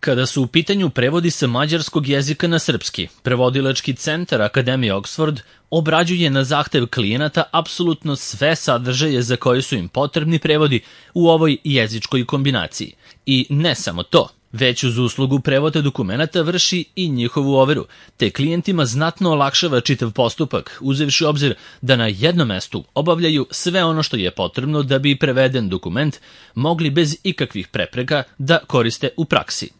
Kada su u pitanju prevodi sa mađarskog jezika na srpski, prevodilački centar Akademije Oxford obrađuje na zahtev klijenata apsolutno sve sadržaje za koje su im potrebni prevodi u ovoj jezičkoj kombinaciji. I ne samo to, već uz uslugu prevoda dokumenata vrši i njihovu overu, te klijentima znatno olakšava čitav postupak, uzevši u obzir da na jednom mestu obavljaju sve ono što je potrebno da bi preveden dokument mogli bez ikakvih prepreka da koriste u praksi.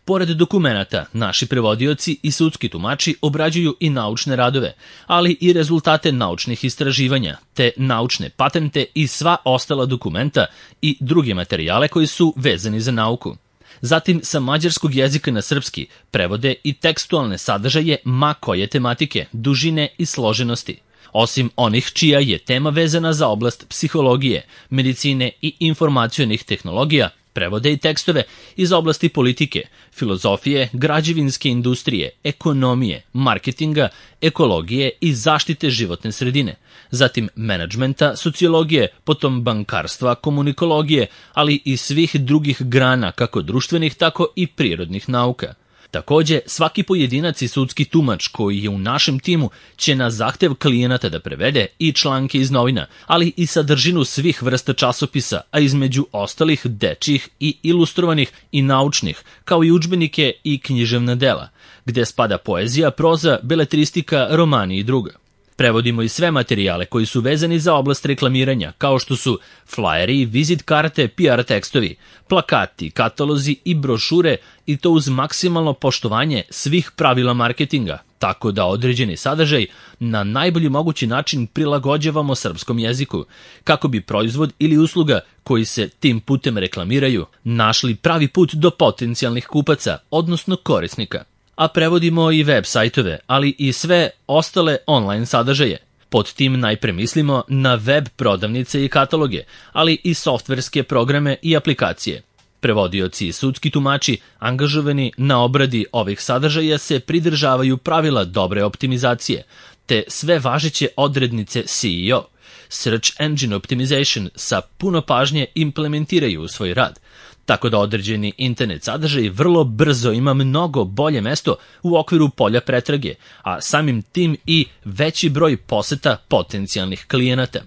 Pored dokumenata, naši prevodioci i sudski tumači obrađuju i naučne radove, ali i rezultate naučnih istraživanja, te naučne patente i sva ostala dokumenta i druge materijale koji su vezani za nauku. Zatim, sa mađarskog jezika na srpski prevode i tekstualne sadržaje ma koje tematike, dužine i složenosti. Osim onih čija je tema vezana za oblast psihologije, medicine i informacionih tehnologija, prevode i tekstove iz oblasti politike, filozofije, građevinske industrije, ekonomije, marketinga, ekologije i zaštite životne sredine, zatim menadžmenta, sociologije, potom bankarstva, komunikologije, ali i svih drugih grana, kako društvenih, tako i prirodnih nauka. Takođe, svaki pojedinac i sudski tumač koji je u našem timu će na zahtev klijenata da prevede i članke iz novina, ali i sadržinu svih vrsta časopisa, a između ostalih dečjih i ilustrovanih i naučnih, kao i udžbenike i književna dela, gde spada poezija, proza, beletristika, romani i druga. Prevodimo i sve materijale koji su vezani za oblast reklamiranja, kao što su flyeri, vizit karte, PR tekstovi, plakati, katalozi i brošure, i to uz maksimalno poštovanje svih pravila marketinga, tako da određeni sadržaj na najbolji mogući način prilagođavamo srpskom jeziku, kako bi proizvod ili usluga koji se tim putem reklamiraju našli pravi put do potencijalnih kupaca, odnosno korisnika. A prevodimo i web sajtove, ali i sve ostale online sadržaje. Pod tim najpre mislimo na web prodavnice i kataloge, ali i softverske programe i aplikacije. Prevodioci i sudski tumači angažovani na obradi ovih sadržaja se pridržavaju pravila dobre optimizacije, te sve važeće odrednice SEO, Search Engine Optimization, sa puno pažnje implementiraju u svoj rad, tako da određeni internet sadržaj vrlo brzo ima mnogo bolje mesto u okviru polja pretrage, a samim tim i veći broj poseta potencijalnih klijenata.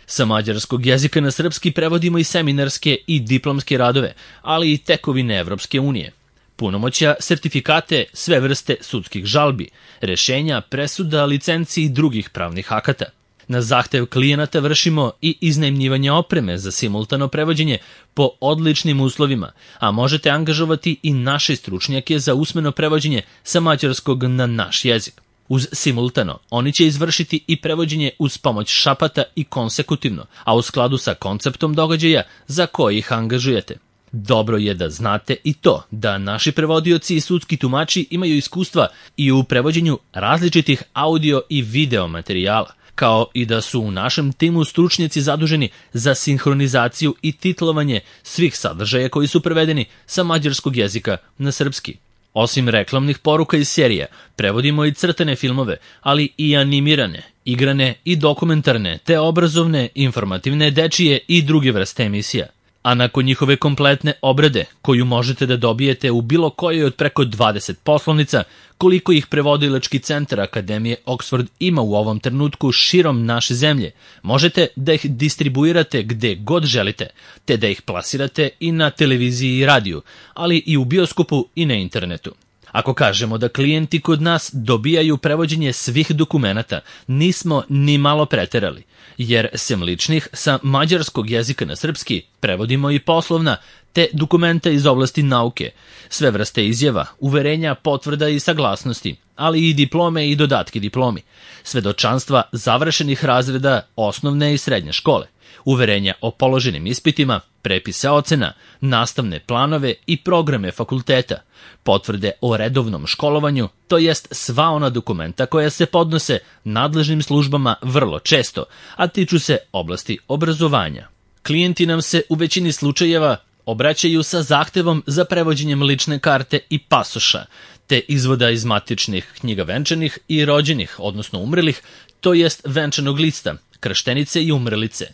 Sa mađarskog jezika na srpski prevodimo i seminarske i diplomske radove, ali i tekovine Evropske unije, punomoćja, sertifikate, sve vrste sudskih žalbi, rešenja, presuda, licenci i drugih pravnih akata. Na zahtev klijenata vršimo i iznajmljivanje opreme za simultano prevođenje po odličnim uslovima, a možete angažovati i naše stručnjake za usmeno prevođenje sa mađarskog na naš jezik. Uz simultano, oni će izvršiti i prevođenje uz pomoć šapata i konsekutivno, a u skladu sa konceptom događaja za koje ih angažujete. Dobro je da znate i to da naši prevodioci i sudski tumači imaju iskustva i u prevođenju različitih audio i video materijala, kao i da su u našem timu stručnjaci zaduženi za sinhronizaciju i titlovanje svih sadržaja koji su prevedeni sa mađarskog jezika na srpski. Osim reklamnih poruka iz serija, prevodimo i crtane filmove, ali i animirane, igrane i dokumentarne, te obrazovne, informativne, dečije i druge vrste emisija. A nakon njihove kompletne obrade, koju možete da dobijete u bilo kojoj od preko 20 poslovnica, koliko ih prevodilački centar Akademije Oxford ima u ovom trenutku širom naše zemlje, možete da ih distribuirate gde god želite, te da ih plasirate i na televiziji i radiju, ali i u bioskopu i na internetu. Ako kažemo da klijenti kod nas dobijaju prevođenje svih dokumenata, nismo ni malo preterali, jer sem ličnih sa mađarskog jezika na srpski prevodimo i poslovna, te dokumenta iz oblasti nauke, sve vrste izjava, uverenja, potvrda i saglasnosti, ali i diplome i dodatke diplomi, svedočanstva završenih razreda osnovne i srednje škole, uverenja o položenim ispitima, prepise ocena, nastavne planove i programe fakulteta, potvrde o redovnom školovanju, to jest sva ona dokumenta koja se podnose nadležnim službama vrlo često, a tiču se oblasti obrazovanja. Klijenti nam se u većini slučajeva obraćaju sa zahtevom za prevođenjem lične karte i pasoša, te izvoda iz matičnih knjiga venčanih i rođenih, odnosno umrelih, to jest venčanog lista, krštenice i umrelice.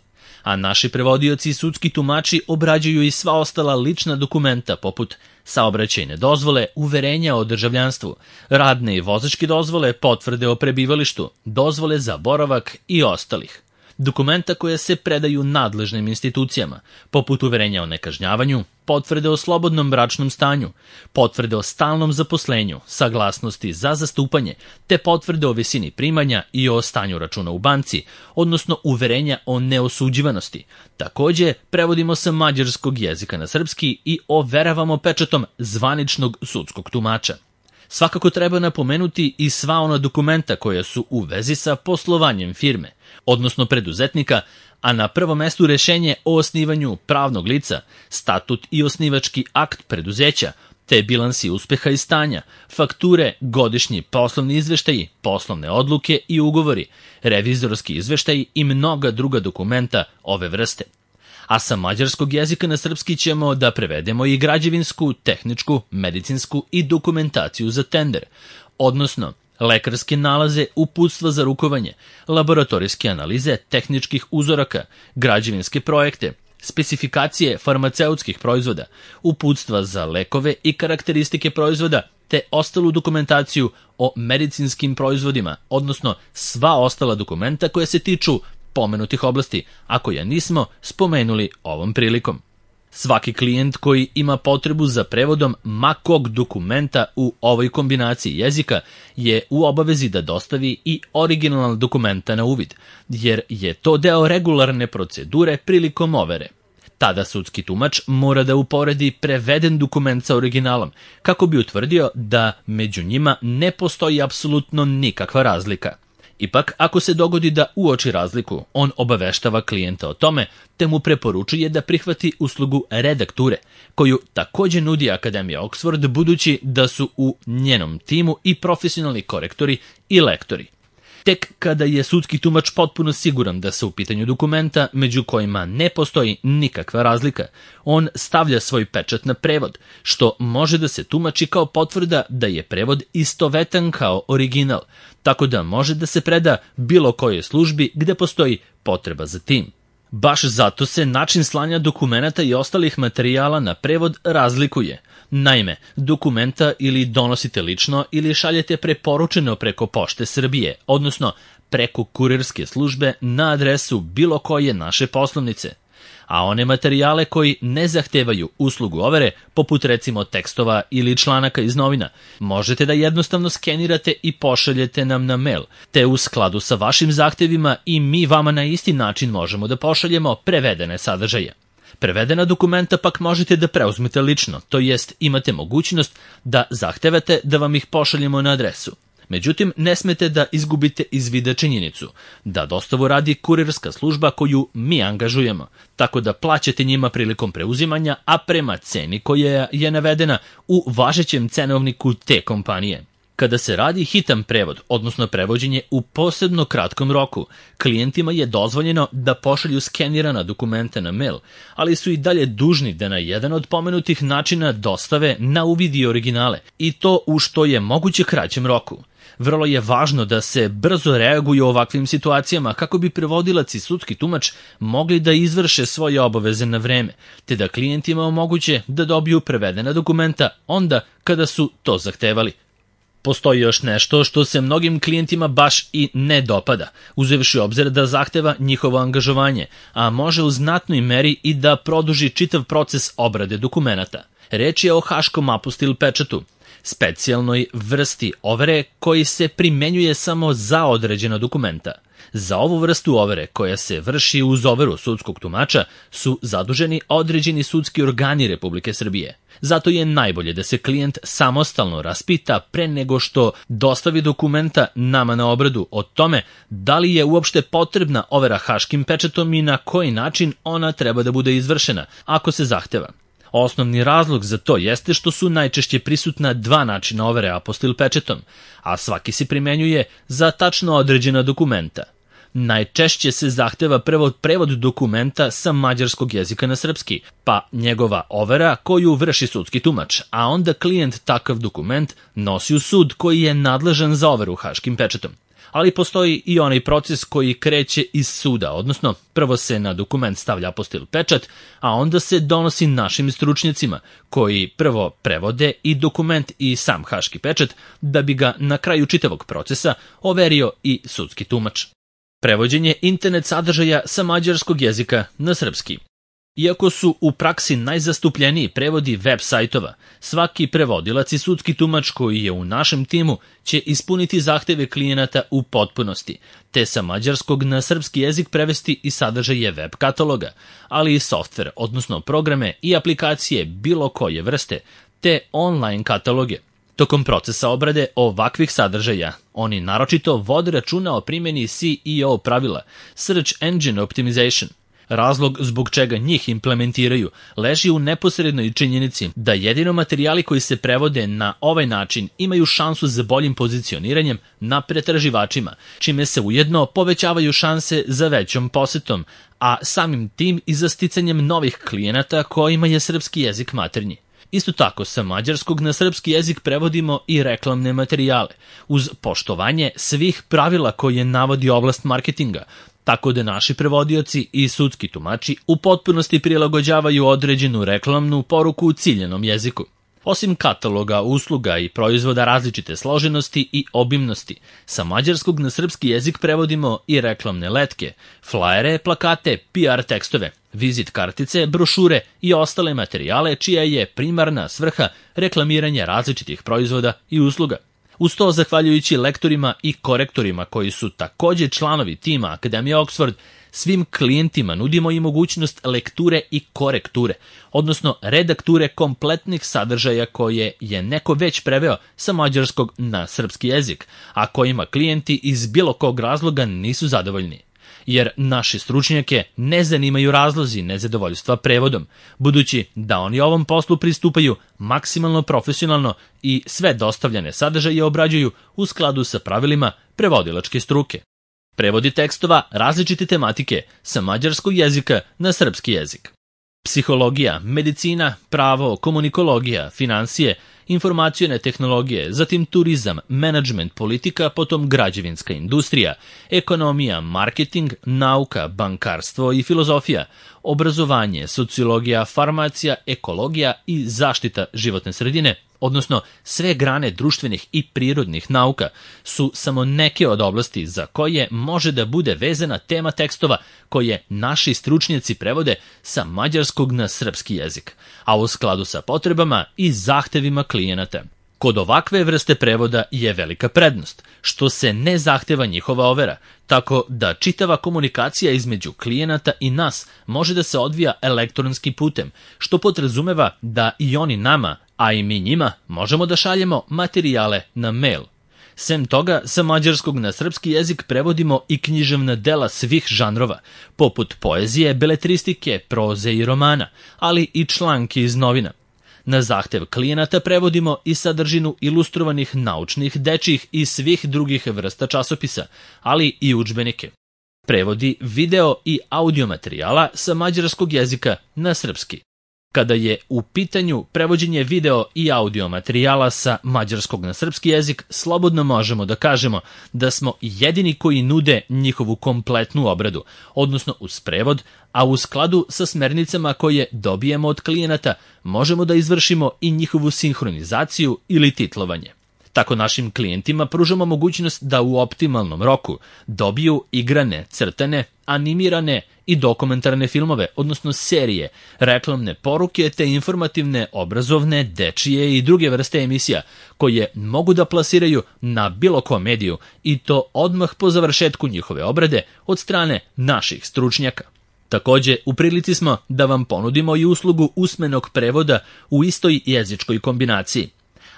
a naši prevodioci i sudski tumači obrađuju i sva ostala lična dokumenta poput saobraćajne dozvole, uverenja o državljanstvu, radne i vozačke dozvole, potvrde o prebivalištu, dozvole za boravak i ostalih. Dokumenta koja se predaju nadležnim institucijama, poput uverenja o nekažnjavanju, potvrde o slobodnom bračnom stanju, potvrde o stalnom zaposlenju, saglasnosti za zastupanje, te potvrde o visini primanja i o stanju računa u banci, odnosno uverenja o neosuđivanosti. Takođe, prevodimo sa mađarskog jezika na srpski i overavamo pečatom zvaničnog sudskog tumača. Svakako treba napomenuti i sva ona dokumenta koja su u vezi sa poslovanjem firme, odnosno preduzetnika, a na prvom mestu rešenje o osnivanju pravnog lica, statut i osnivački akt preduzeća, te bilansi uspeha i stanja, fakture, godišnji poslovni izveštaji, poslovne odluke i ugovori, revizorski izveštaji i mnoga druga dokumenta ove vrste. A sa mađarskog jezika na srpski ćemo da prevedemo i građevinsku, tehničku, medicinsku i dokumentaciju za tender, odnosno lekarske nalaze, uputstva za rukovanje, laboratorijske analize tehničkih uzoraka, građevinske projekte, specifikacije farmaceutskih proizvoda, uputstva za lekove i karakteristike proizvoda, te ostalu dokumentaciju o medicinskim proizvodima, odnosno sva ostala dokumenta koja se tiču pomenutih oblasti, a koja nismo spomenuli ovom prilikom. Svaki klijent koji ima potrebu za prevodom ma kog dokumenta u ovoj kombinaciji jezika je u obavezi da dostavi i originalna dokumenta na uvid, jer je to deo regularne procedure prilikom overe. Tada sudski tumač mora da uporedi preveden dokument sa originalom, kako bi utvrdio da među njima ne postoji apsolutno nikakva razlika. Ipak, ako se dogodi da uoči razliku, on obaveštava klijenta o tome, te mu preporučuje da prihvati uslugu redakture, koju takođe nudi Akademija Oxford, budući da su u njenom timu i profesionalni korektori i lektori. Tek kada je sudski tumač potpuno siguran da se u pitanju dokumenta, među kojima ne postoji nikakva razlika, on stavlja svoj pečat na prevod, što može da se tumači kao potvrda da je prevod istovetan kao original, tako da može da se preda bilo kojoj službi gde postoji potreba za tim. Baš zato se način slanja dokumenata i ostalih materijala na prevod razlikuje. Naime, dokumenta ili donosite lično ili šaljete preporučeno preko Pošte Srbije, odnosno preko kurirske službe na adresu bilo koje naše poslovnice. A one materijale koji ne zahtevaju uslugu overe, poput recimo tekstova ili članaka iz novina, možete da jednostavno skenirate i pošaljete nam na mail, te u skladu sa vašim zahtevima i mi vama na isti način možemo da pošaljemo prevedene sadržaje. Prevedena dokumenta pak možete da preuzmete lično, to jest imate mogućnost da zahtevate da vam ih pošaljemo na adresu. Međutim, ne smete da izgubite iz vida činjenicu da dostavu radi kurirska služba koju mi angažujemo, tako da plaćate njima prilikom preuzimanja, a prema ceni koja je navedena u važećem cenovniku te kompanije. Kada se radi hitan prevod, odnosno prevođenje u posebno kratkom roku, klijentima je dozvoljeno da pošalju skenirana dokumenta na mail, ali su i dalje dužni da na jedan od pomenutih načina dostave na uvid i originale, i to u što je moguće kraćem roku. Vrlo je važno da se brzo reaguju u ovakvim situacijama kako bi prevodilac i sudski tumač mogli da izvrše svoje obaveze na vreme, te da klijentima omoguće da dobiju prevedena dokumenta onda kada su to zahtevali. Postoji još nešto što se mnogim klijentima baš i ne dopada, uzevši obzir da zahteva njihovo angažovanje, a može u znatnoj meri i da produži čitav proces obrade dokumenata. Reč je o haškom apostil pečatu, specijalnoj vrsti overe koji se primenjuje samo za određena dokumenta. Za ovu vrstu overe, koja se vrši uz overu sudskog tumača, su zaduženi određeni sudski organi Republike Srbije. Zato je najbolje da se klijent samostalno raspita pre nego što dostavi dokumenta nama na obradu o tome da li je uopšte potrebna overa haškim pečatom i na koji način ona treba da bude izvršena, ako se zahteva. Osnovni razlog za to jeste što su najčešće prisutna dva načina overe apostil pečetom, a svaki se primenjuje za tačno određena dokumenta. Najčešće se zahteva prevod dokumenta sa mađarskog jezika na srpski, pa njegova overa koju vrši sudski tumač, a onda klijent takav dokument nosi u sud koji je nadležan za overu haškim pečatom. ali postoji i onaj proces koji kreće iz suda, odnosno prvo se na dokument stavlja apostil pečat, a onda se donosi našim stručnjacima, koji prvo prevode i dokument i sam haški pečat, da bi ga na kraju čitavog procesa overio i sudski tumač. Prevođenje internet sadržaja sa mađarskog jezika na srpski. Iako su u praksi najzastupljeniji prevodi web sajtova, svaki prevodilac i sudski tumač koji je u našem timu će ispuniti zahteve klijenata u potpunosti, te sa mađarskog na srpski jezik prevesti i sadržaje web kataloga, ali i softver, odnosno programe i aplikacije bilo koje vrste, te online kataloge. Tokom procesa obrade ovakvih sadržaja, oni naročito vode računa o primjeni SEO pravila, Search Engine Optimization. Razlog zbog čega njih implementiraju leži u neposrednoj činjenici da jedino materijali koji se prevode na ovaj način imaju šansu za boljim pozicioniranjem na pretraživačima, čime se ujedno povećavaju šanse za većom posetom, a samim tim i za sticanjem novih klijenata kojima je srpski jezik maternji. Isto tako, sa mađarskog na srpski jezik prevodimo i reklamne materijale, uz poštovanje svih pravila koje navodi oblast marketinga, tako da naši prevodioci i sudski tumači u potpunosti prilagođavaju određenu reklamnu poruku u ciljanom jeziku. Osim kataloga, usluga i proizvoda različite složenosti i obimnosti, sa mađarskog na srpski jezik prevodimo i reklamne letke, flajere, plakate, PR tekstove, vizit kartice, brošure i ostale materijale čija je primarna svrha reklamiranje različitih proizvoda i usluga. Uz to, zahvaljujući lektorima i korektorima koji su takođe članovi tima Akademije Oxford, svim klijentima nudimo i mogućnost lekture i korekture, odnosno redakture kompletnih sadržaja koje je neko već preveo sa mađarskog na srpski jezik, a kojima klijenti iz bilo kog razloga nisu zadovoljni. Jer naši stručnjake ne zanimaju razlozi nezadovoljstva prevodom, budući da oni ovom poslu pristupaju maksimalno profesionalno i sve dostavljene sadržaje obrađuju u skladu sa pravilima prevodilačke struke. Prevodi tekstova različite tematike sa mađarskog jezika na srpski jezik. Psihologija, medicina, pravo, komunikologija, finansije, informacione tehnologije, zatim turizam, menadžment, politika, potom građevinska industrija, ekonomija, marketing, nauka, bankarstvo i filozofija, obrazovanje, sociologija, farmacija, ekologija i zaštita životne sredine, odnosno sve grane društvenih i prirodnih nauka, su samo neke od oblasti za koje može da bude vezana tema tekstova koje naši stručnjaci prevode sa mađarskog na srpski jezik, a u skladu sa potrebama i zahtevima klijenata. Kod ovakve vrste prevoda je velika prednost, što se ne zahteva njihova overa, tako da čitava komunikacija između klijenata i nas može da se odvija elektronskim putem, što podrazumeva da i oni nama, a i mi njima, možemo da šaljemo materijale na mail. Sem toga, sa mađarskog na srpski jezik prevodimo i književna dela svih žanrova, poput poezije, beletristike, proze i romana, ali i članke iz novina. Na zahtev klijenata prevodimo i sadržinu ilustrovanih naučnih, dečjih i svih drugih vrsta časopisa, ali i udžbenike. Prevodi video i audio materijala sa mađarskog jezika na srpski. Kada je u pitanju prevođenje video i audio materijala sa mađarskog na srpski jezik, slobodno možemo da kažemo da smo jedini koji nude njihovu kompletnu obradu, odnosno uz prevod, a u skladu sa smernicama koje dobijemo od klijenata, možemo da izvršimo i njihovu sinhronizaciju ili titlovanje. Tako našim klijentima pružamo mogućnost da u optimalnom roku dobiju igrane, crtane, animirane i dokumentarne filmove, odnosno serije, reklamne poruke te informativne, obrazovne, dečije i druge vrste emisija koje mogu da plasiraju na bilo kom mediju i to odmah po završetku njihove obrade od strane naših stručnjaka. Takođe, u prilici smo da vam ponudimo i uslugu usmenog prevoda u istoj jezičkoj kombinaciji.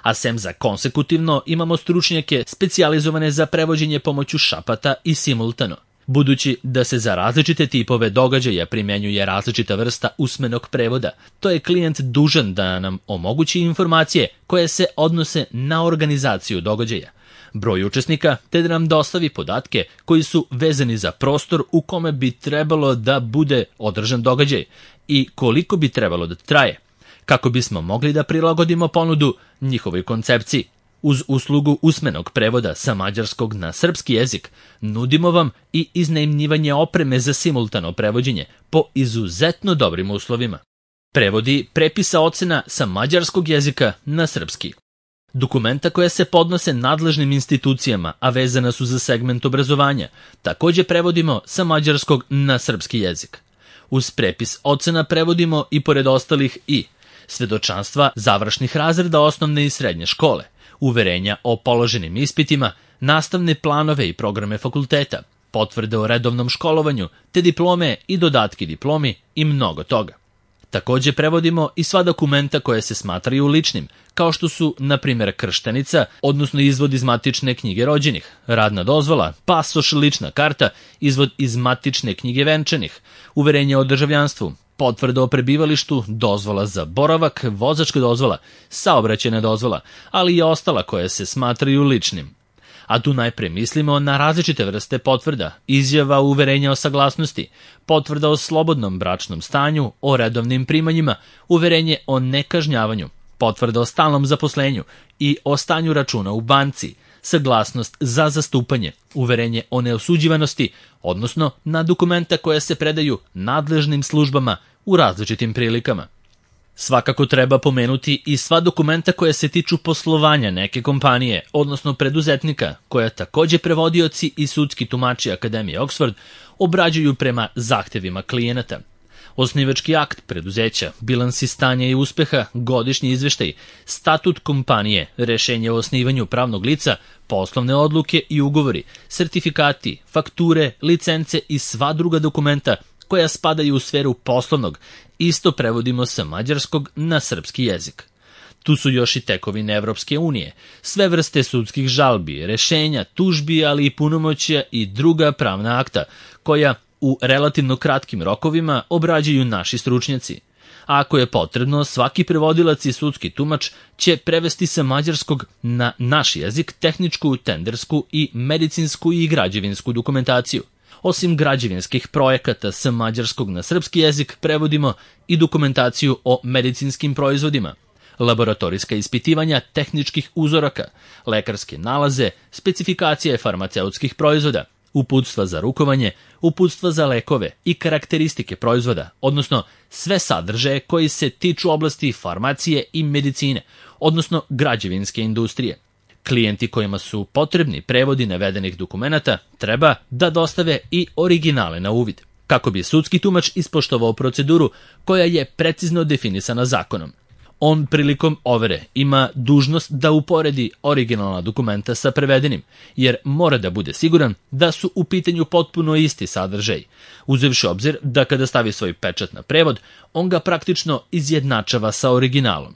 A sem za konsekutivno imamo stručnjake specijalizovane za prevođenje pomoću šapata i simultano. Budući da se za različite tipove događaja primjenjuje različita vrsta usmenog prevoda, to je klijent dužan da nam omogući informacije koje se odnose na organizaciju događaja, broj učesnika, te da nam dostavi podatke koji su vezani za prostor u kome bi trebalo da bude održan događaj i koliko bi trebalo da traje, kako bismo mogli da prilagodimo ponudu njihovoj koncepciji. Uz uslugu usmenog prevoda sa mađarskog na srpski jezik nudimo vam i iznajmljivanje opreme za simultano prevođenje po izuzetno dobrim uslovima. Prevodi prepisa ocena sa mađarskog jezika na srpski. Dokumenta koja se podnose nadležnim institucijama, a vezana su za segment obrazovanja, takođe prevodimo sa mađarskog na srpski jezik. Uz prepis ocena prevodimo i pored ostalih svedočanstva završnih razreda osnovne i srednje škole, uverenja o položenim ispitima, nastavne planove i programe fakulteta, potvrde o redovnom školovanju, te diplome i dodatki diplomi i mnogo toga. Takođe prevodimo i sva dokumenta koje se smatraju ličnim, kao što su, na primjer, krštenica, odnosno izvod iz matične knjige rođenih, radna dozvola, pasoš, lična karta, izvod iz matične knjige venčanih, uverenje o državljanstvu, potvrda o prebivalištu, dozvola za boravak, vozačka dozvola, saobraćajna dozvola, ali i ostala koje se smatraju ličnim. A tu najpre mislimo na različite vrste potvrda, izjava uverenja o saglasnosti, potvrda o slobodnom bračnom stanju, o redovnim primanjima, uverenje o nekažnjavanju, potvrda o stalnom zaposlenju i o stanju računa u banci, saglasnost za zastupanje, uverenje o neosuđivanosti, odnosno na dokumenta koja se predaju nadležnim službama u različitim prilikama. Svakako treba pomenuti i sva dokumenta koja se tiču poslovanja neke kompanije, odnosno preduzetnika, koja takođe prevodioci i sudski tumači Akademije Oxford obrađuju prema zahtevima klijenata. Osnivački akt preduzeća, bilansi stanja i uspeha, godišnji izveštaj, statut kompanije, rešenje o osnivanju pravnog lica, poslovne odluke i ugovori, sertifikati, fakture, licence i sva druga dokumenta koja spadaju u sferu poslovnog, isto prevodimo sa mađarskog na srpski jezik. Tu su još i tekovine Evropske unije, sve vrste sudskih žalbi, rešenja, tužbi, ali i punomoćja i druga pravna akta, koja u relativno kratkim rokovima obrađuju naši stručnjaci. A ako je potrebno, svaki prevodilac i sudski tumač će prevesti sa mađarskog na naš jezik tehničku, tendersku i medicinsku i građevinsku dokumentaciju. Osim građevinskih projekata sa mađarskog na srpski jezik, prevodimo i dokumentaciju o medicinskim proizvodima, laboratorijska ispitivanja tehničkih uzoraka, lekarske nalaze, specifikacije farmaceutskih proizvoda, uputstva za rukovanje, uputstva za lekove i karakteristike proizvoda, odnosno sve sadržaje koji se tiču oblasti farmacije i medicine, odnosno građevinske industrije. Klijenti kojima su potrebni prevodi navedenih dokumenata treba da dostave i originale na uvid, kako bi sudski tumač ispoštovao proceduru koja je precizno definisana zakonom. On prilikom overe ima dužnost da uporedi originalna dokumenta sa prevedenim, jer mora da bude siguran da su u pitanju potpuno isti sadržaj, uzevši obzir da kada stavi svoj pečat na prevod, on ga praktično izjednačava sa originalom.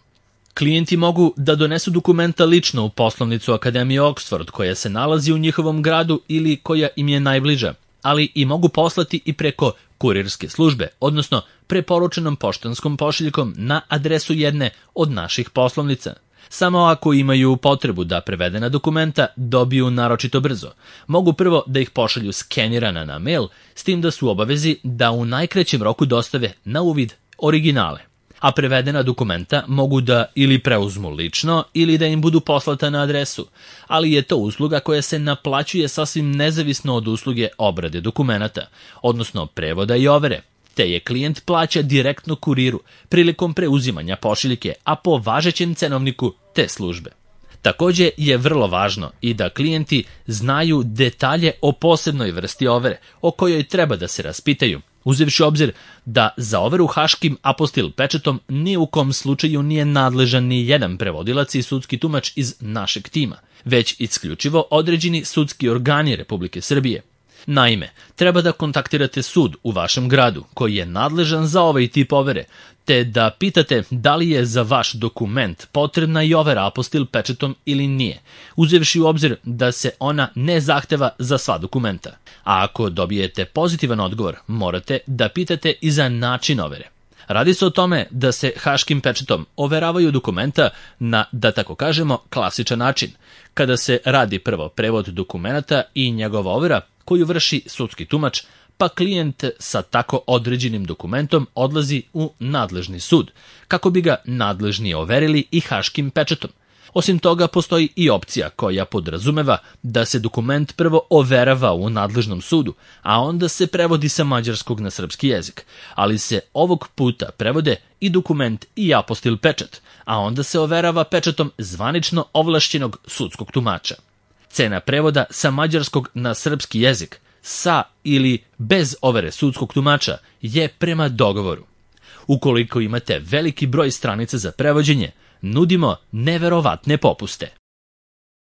Klijenti mogu da donesu dokumenta lično u poslovnicu Akademije Oxford koja se nalazi u njihovom gradu ili koja im je najbliža, ali i mogu poslati i preko kurirske službe, odnosno preporučenom poštanskom pošiljkom na adresu jedne od naših poslovnica. Samo ako imaju potrebu da prevedena dokumenta dobiju naročito brzo, mogu prvo da ih pošalju skenirana na mail, s tim da su u obavezi da u najkraćem roku dostave na uvid originale. A prevedena dokumenta mogu da ili preuzmu lično ili da im budu poslata na adresu, ali je to usluga koja se naplaćuje sasvim nezavisno od usluge obrade dokumenata, odnosno prevoda i overe, te je klijent plaća direktno kuriru prilikom preuzimanja pošiljke, a po važećem cenovniku te službe. Takođe je vrlo važno i da klijenti znaju detalje o posebnoj vrsti overe, o kojoj treba da se raspitaju, uzevši obzir da za overu haškim apostil pečatom ni u kom slučaju nije nadležan ni jedan prevodilac i sudski tumač iz našeg tima, već isključivo određeni sudski organi Republike Srbije. Naime, treba da kontaktirate sud u vašem gradu koji je nadležan za ovaj tip overe, te da pitate da li je za vaš dokument potrebna i overa apostil pečatom ili nije, uzevši u obzir da se ona ne zahteva za sva dokumenta. A ako dobijete pozitivan odgovor, morate da pitate i za način overe. Radi se o tome da se haškim pečatom overavaju dokumenta na, da tako kažemo, klasičan način, kada se radi prvo prevod dokumenta i njegova overa koju vrši sudski tumač, pa klijent sa tako određenim dokumentom odlazi u nadležni sud, kako bi ga nadležni overili i haškim pečatom. Osim toga, postoji i opcija koja podrazumeva da se dokument prvo overava u nadležnom sudu, a onda se prevodi sa mađarskog na srpski jezik, ali se ovog puta prevode i dokument i apostil pečat, a onda se overava pečatom zvanično ovlašćenog sudskog tumača. Cena prevoda sa mađarskog na srpski jezik, sa ili bez overe sudskog tumača, je prema dogovoru. Ukoliko imate veliki broj stranica za prevođenje, nudimo neverovatne popuste.